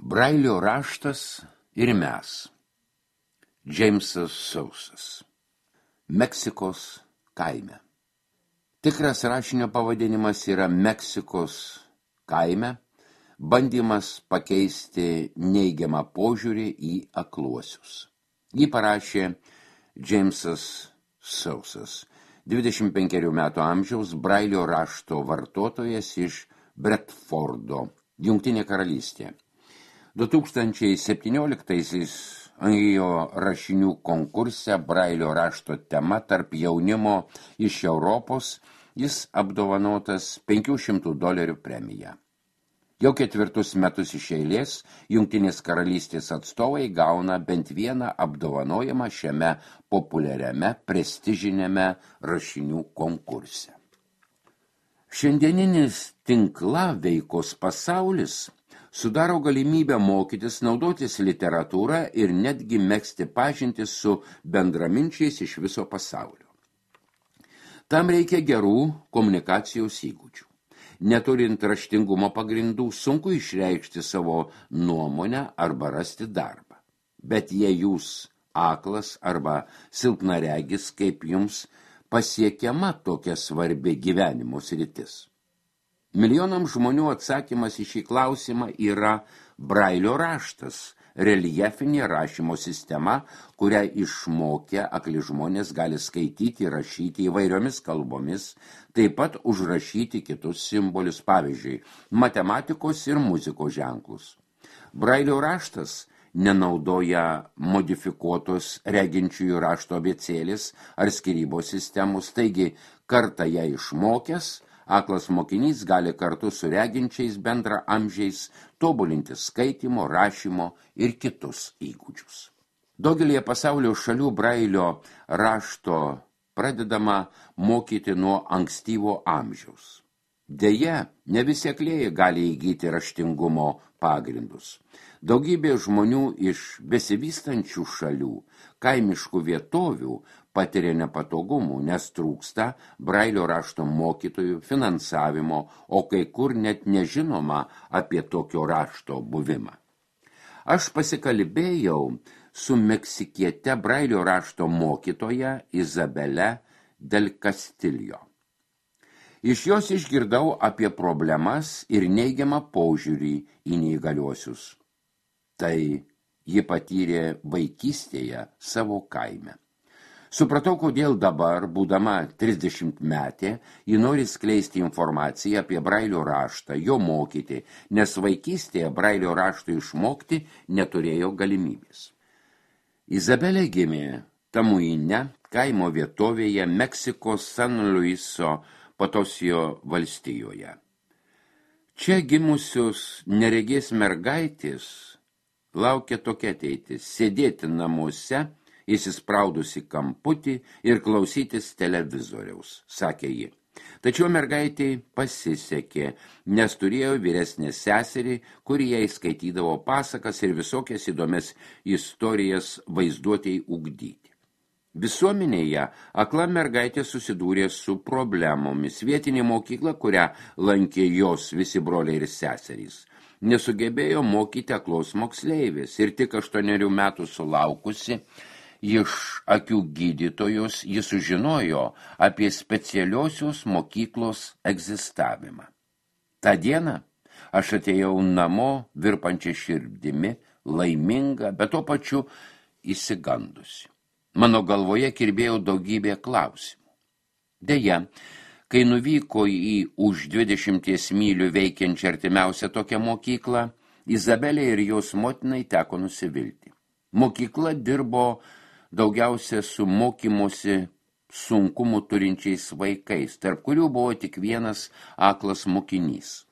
Brailio raštas ir mes. Džeimsas Sausas. Meksikos kaime. Tikras rašinio pavadinimas yra Meksikos kaime, bandymas pakeisti neigiamą požiūrį į akluosius. Jį parašė Džeimsas Sausas, 25 metų amžiaus Brailio rašto vartotojas iš Bredfordo, Jungtinė karalystė. 2017-aisiais jo rašinių konkurse Brailio rašto tema tarp jaunimo iš Europos jis apdovanotas $500 premija. Jau 4 metus iš eilės Jungtinės karalystės atstovai gauna bent vieną apdovanojimą šiame populiariame prestižiniame rašinių konkurse. Šiandieninis tinklaveikos pasaulis sudaro galimybę mokytis, naudotis literatūrą ir netgi megzti pažintis su bendraminčiais iš viso pasaulio. Tam reikia gerų komunikacijos įgūdžių. Neturint raštingumo pagrindų, sunku išreikšti savo nuomonę arba rasti darbą. Bet jei jūs aklas arba silpnaregis, kaip jums pasiekiama tokia svarbi gyvenimo sritis? Milijonams žmonių atsakymas į šį klausimą yra Brailio raštas, reljefinė rašymo sistema, kurią išmokę akli žmonės gali skaityti ir rašyti įvairiomis kalbomis, taip pat užrašyti kitus simbolius, pavyzdžiui, matematikos ir muzikos ženklus. Brailio raštas nenaudoja modifikuotos reginčiųjų rašto abėcėlės ar skyrybos sistemos, taigi kartą ją išmokęs, aklas mokinys gali kartu su reginčiais bendraamžiais tobulinti skaitymo, rašymo ir kitus įgūdžius. Daugelėje pasaulio šalių Brailio rašto pradedama mokyti nuo ankstyvo amžiaus. Deja, ne visi aklieji gali įgyti raštingumo pagrindus. Daugybė žmonių iš besivystančių šalių, kaimiškų vietovių patiria nepatogumų, nes trūksta Brailio rašto mokytojų, finansavimo, o kai kur net nežinoma apie tokio rašto buvimą. Aš pasikalbėjau su meksikiete Brailio rašto mokytoja Izabele del Castillo. Iš jos išgirdau apie problemas ir neigiamą požiūrį į neįgaliuosius. Tai ji patyrė vaikystėje savo kaime. Supratau, kodėl dabar, būdama 30 metė, ji nori skleisti informaciją apie Brailio raštą, jo mokyti, nes vaikystėje Brailio rašto išmokti neturėjo galimybės. Izabelė gimė Tamuine, kaimo vietovėje Meksikos San Luiso Potosio valstijoje. Čia gimusios neregės mergaitės laukia tokia ateitis – sėdėti namuose, įsispraudusi kamputį ir klausytis televizoriaus, sakė ji. Tačiau mergaitei pasisekė, nes turėjo vyresnę seserį, kuri jai skaitydavo pasakas ir visokias įdomias istorijas vaizduotei ugdyti. Visuomenėje akla mergaitė susidūrė su problemomis. Vietinė mokykla, kurią lankė jos visi broliai ir seserys, nesugebėjo mokyti aklos moksleivės ir tik 8 metų sulaukusi iš akių gydytojos ji sužinojo apie specialiosios mokyklos egzistavimą. Ta diena aš atėjau namo virpančia širdimi, laiminga, bet tuo pačiu išsigandusi. Mano galvoje kirbėjo daugybė klausimų. Deja, kai nuvyko į už 20 mylių veikiančią artimiausią tokią mokyklą, Izabelė ir jos motinai teko nusivilti. Mokykla dirbo daugiausia su mokymosi sunkumų turinčiais vaikais, tarp kurių buvo tik vienas aklas mokinys.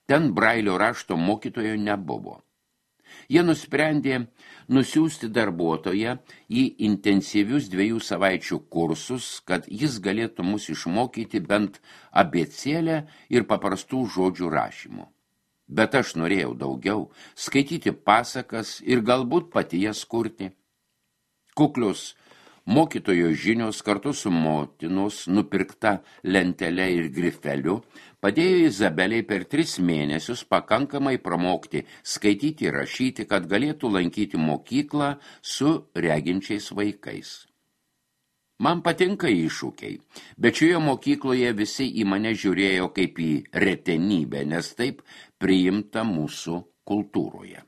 Ten Brailio rašto mokytojo nebuvo. Jie nusprendė nusiųsti darbuotoją į intensyvius 2 savaičių kursus, kad jis galėtų mus išmokyti bent abėcėlę ir paprastų žodžių rašymo. Bet aš norėjau daugiau, skaityti pasakas ir galbūt pati jas kurti. Kuklios Mokytojo žinios kartu su motinos nupirkta lentele ir grifeliu padėjo Izabelei per 3 mėnesius pakankamai pramokti skaityti ir rašyti, kad galėtų lankyti mokyklą su reginčiais vaikais. Man patinka iššūkiai, bet šioje mokykloje visi į mane žiūrėjo kaip į retenybę, nes taip priimta mūsų kultūroje.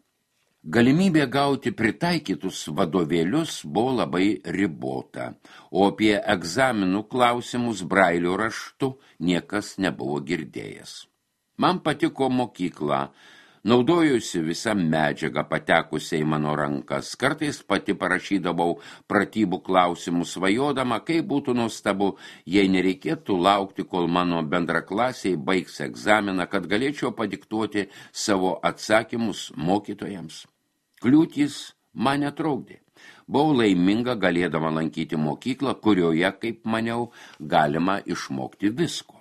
Galimybė gauti pritaikytus vadovėlius buvo labai ribota, o apie egzaminų klausimus brailio raštu niekas nebuvo girdėjęs. Man patiko mokykla, naudojusi visą medžiagą patekusią į mano rankas, kartais pati parašydavau pratybų klausimus svajodama, kaip būtų nuostabu, jei nereikėtų laukti, kol mano bendraklasiai baigs egzaminą, kad galėčiau padiktuoti savo atsakymus mokytojams. Kliūtys man netraukdė. Buvau laiminga galėdama lankyti mokyklą, kurioje, kaip maniau, galima išmokti visko.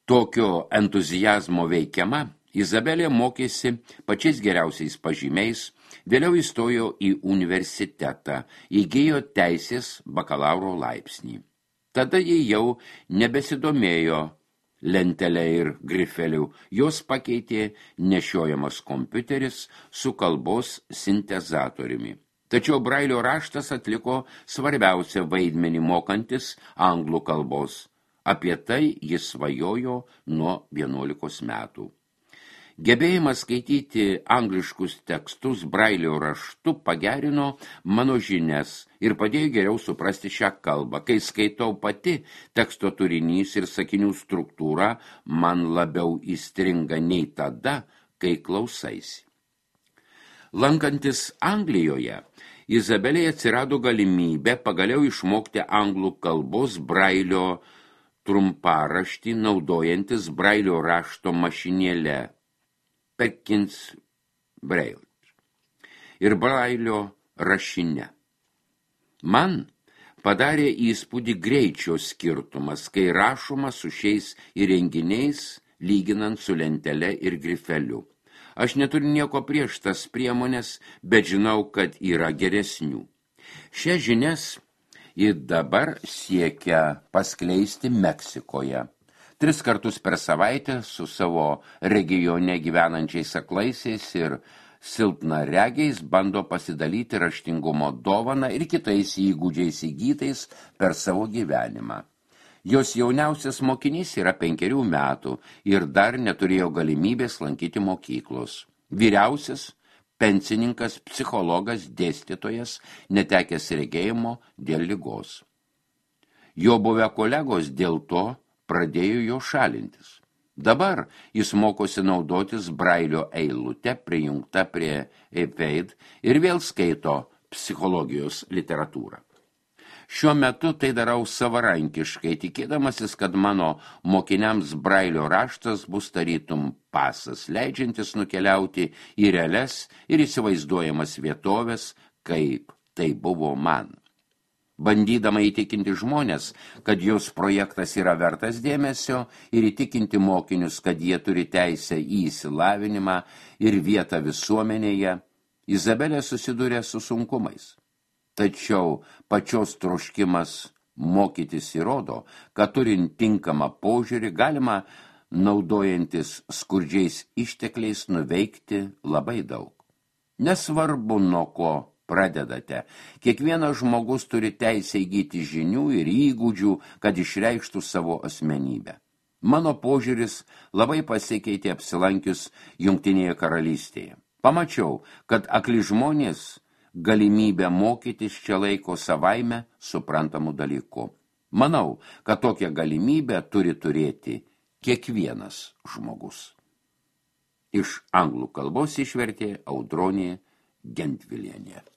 Tokio entuzijazmo veikiama, Izabelė mokėsi pačiais geriausiais pažymiais, vėliau įstojo į universitetą, įgijo teisės bakalauro laipsnį. Tada ji jau nebesidomėjo lentelę ir grifelių, jos pakeitė nešiojamas kompiuteris su kalbos sintezatoriumi. Tačiau brailio raštas atliko svarbiausią vaidmenį mokantis anglų kalbos. Apie tai jis svajojo nuo 11 metų. Gebėjimas skaityti angliškus tekstus brailio raštu pagerino mano žinias ir padėjo geriau suprasti šią kalbą. Kai skaitau pati, teksto turinys ir sakinių struktūra man labiau įstringa nei tada, kai klausaisi. Lankantis Anglijoje, Izabelei atsirado galimybė pagaliau išmokti anglų kalbos brailio trumparaštį naudojantis brailio rašto mašinėle Perkins Braille ir brailio rašinė. Man padarė įspūdį greičio skirtumas, kai rašoma su šiais įrenginiais, lyginant su lentele ir grifeliu. Aš neturiu nieko prieš tas priemonės, bet žinau, kad yra geresnių. Šias žinias ji dabar siekia paskleisti Meksikoje. 3 kartus per savaitę su savo regione gyvenančiais aklaisiais ir silpnaregiais bando pasidalyti raštingumo dovaną ir kitais įgūdžiais įgytais per savo gyvenimą. Jos jauniausias mokinys yra 5 metų ir dar neturėjo galimybės lankyti mokyklos. Vyriausias pensininkas, psichologas, dėstytojas, netekęs regėjimo dėl ligos. Jo buvę kolegos dėl to pradėjo jo šalintis. Dabar jis mokosi naudotis brailio eilute prijungta prie iPad ir vėl skaito psichologijos literatūrą. Šiuo metu tai darau savarankiškai, tikėdamasis, kad mano mokiniams brailio raštas bus tarytum pasas, leidžiantis nukeliauti į realias ir įsivaizduojamas vietovės, kaip tai buvo man. Bandydama įtikinti žmonės, kad jos projektas yra vertas dėmesio ir įtikinti mokinius, kad jie turi teisę į išsilavinimą ir vietą visuomenėje, Izabelė susidūrė su sunkumais. Tačiau pačios troškimas mokytis įrodo, kad turint tinkamą požiūrį galima, naudojantis skurdžiais ištekliais, nuveikti labai daug. Nesvarbu, nuo ko pradedate. Kiekvienas žmogus turi teisę įgyti žinių ir įgūdžių, kad išreikštų savo asmenybę. Mano požiūris labai pasikeitė apsilankius Jungtinėje karalystėje. Pamačiau, kad akli žmonės galimybę mokytis čia laiko savaime suprantamų dalykų. Manau, kad tokią galimybę turi turėti kiekvienas žmogus. Iš anglų kalbos išvertė Audronė Gentvilienė.